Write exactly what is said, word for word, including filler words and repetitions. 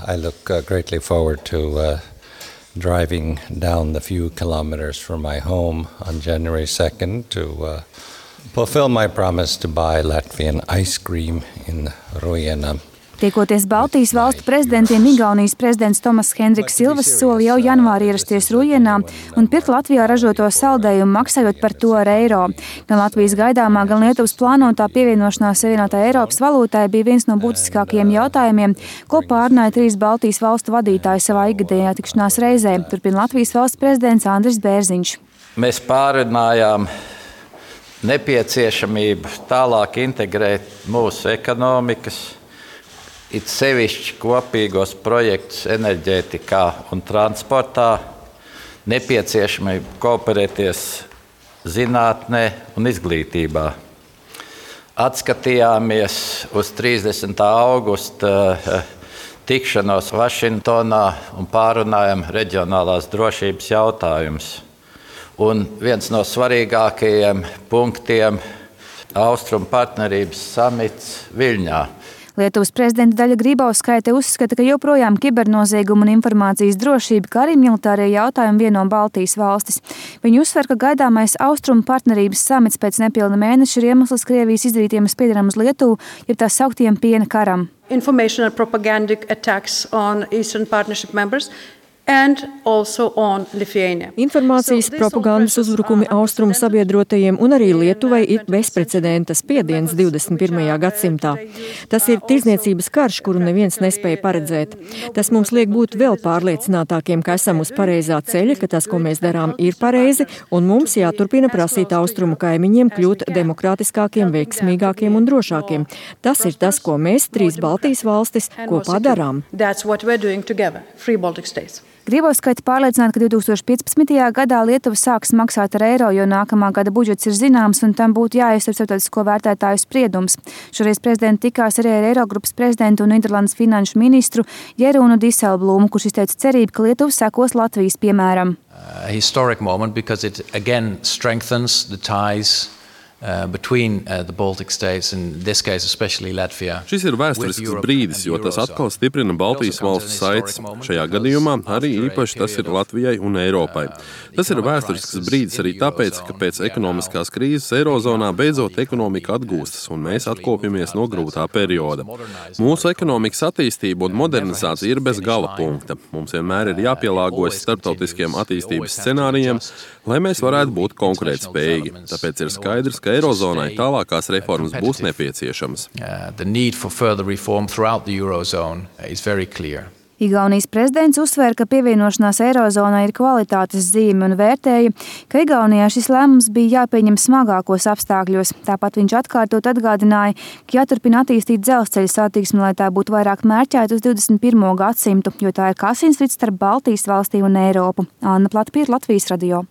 I look uh, greatly forward to uh, driving down the few kilometers from my home on January second to uh, fulfill my promise to buy Latvian ice cream in Rujena. Tiekoties Baltijas valstu prezidentiem, Igaunijas prezidents Tomas Hendriks Silvas soli jau janvārī ierasties Rujenā un pirkt Latvijā ražoto saldējumu, maksājot par to ar eiro. Gan Latvijas gaidāmā, gan Lietuvas plānotā pievienošanās Savienotajai Eiropas valūtai bija viens no būtiskākajiem jautājumiem, ko pārunāja trīs Baltijas valstu vadītāji savā ikgadējā tikšanās reizē, turpina Latvijas valsts prezidents Andris Bērziņš. Mēs pārunājām nepieciešamību tālāk integrēt mūsu ekonomikas, it sevišķi kopīgos projektus enerģētikā un transportā, nepieciešamību kooperēties zinātnē un izglītībā. Atskatījāmies uz trīsdesmitā augusta tikšanos Vašingtonā un pārunājām reģionālās drošības jautājumus. Un viens no svarīgākajiem punktiem – Austrumu partnerības samits Viļņā. Lietuvas prezidenta Daļa Grybauskaite uzskata, ka joprojām kibernozieguma un informācijas drošība, kā arī militārie jautājumi vieno Baltijas valstis. Viņa uzsver, ka gaidāmais Austrumu partnerības samits pēc nepilna mēneša ir iemesls Krievijas izdarītiem spiedienam uz Lietuvu, jeb tā sauktiem piena karam. Information and propagandic attacks on Eastern Partnership members and also on Lithuania. Informācijas propagandas uzbrukumi austrumu sabiedrotajiem un arī Lietuvai ir bezprecedenta spiediens divdesmit pirmajā gadsimtā. Tas ir tirdzniecības karš, kuru neviens nespēja paredzēt. Tas mums liek būt vēl pārliecinātākiem, ka esam uz pareizā ceļa, ka tas, ko mēs darām, ir pareizi, un mums jāturpina prasīt austrumu kaimiņiem kļūt demokrātiskākiem, veiksmīgākiem un drošākiem. Tas ir tas, ko mēs, trīs Baltijas valstis, kopā darām. That's what we're doing together, three Baltic states. Grybauskaite pārliecināta, ka divi tūkstoši piecpadsmitajā gadā Lietuva sāks maksāt ar eiro, jo nākamā gada budžets ir zināms un tam būtu jāiestāv starptautisko vērtētāju spriedums. Šoreiz prezidenta tikās arī ar Eirogrupas prezidentu un Nīderlandes finanšu ministru Jerūnu Diselblūmu, kurš izteica cerību, ka Lietuva sekos Latvijas piemēram. A historic moment because it again strengthens the ties Uh, between uh, the Baltic states, in this case especially Latvia. Šis ir vēsturisks brīdis, jo tas atkal stiprina Baltijas valstu saites. Šajā gadījumā arī īpaši tas ir Latvijai un Eiropai. Tas ir vēsturisks brīdis arī tāpēc, ka pēc ekonomiskās krīzes Eirozonā beidzot ekonomika atgūstas un mēs atkopjamies no grūtā perioda. Mūsu ekonomikas attīstība un modernizācija ir bez gala punkta. Mums vienmēr ir jāpielāgojas starptautiskiem attīstības scenārijiem, lai mēs varētu būt konkurētspējīgi. Tāpēc ir skaidrs, ka Eirozonai tālākās reformas būs nepieciešamas. Igaunijas prezidents uzsvēra, ka pievienošanās Eirozonai ir kvalitātes zīme un vērtēja, ka Igaunijā šis lēmums bija jāpieņem smagākos apstākļos. Tāpat viņš atkārtot atgādināja, ka jāturpina attīstīt dzelzceļa satiksmi, lai tā būtu vairāk mērķēta uz divdesmit pirmo gadsimtu, jo tā ir kā asinsrids starp Baltijas valstīm un Eiropu. Anna Platpiera, Latvijas radio.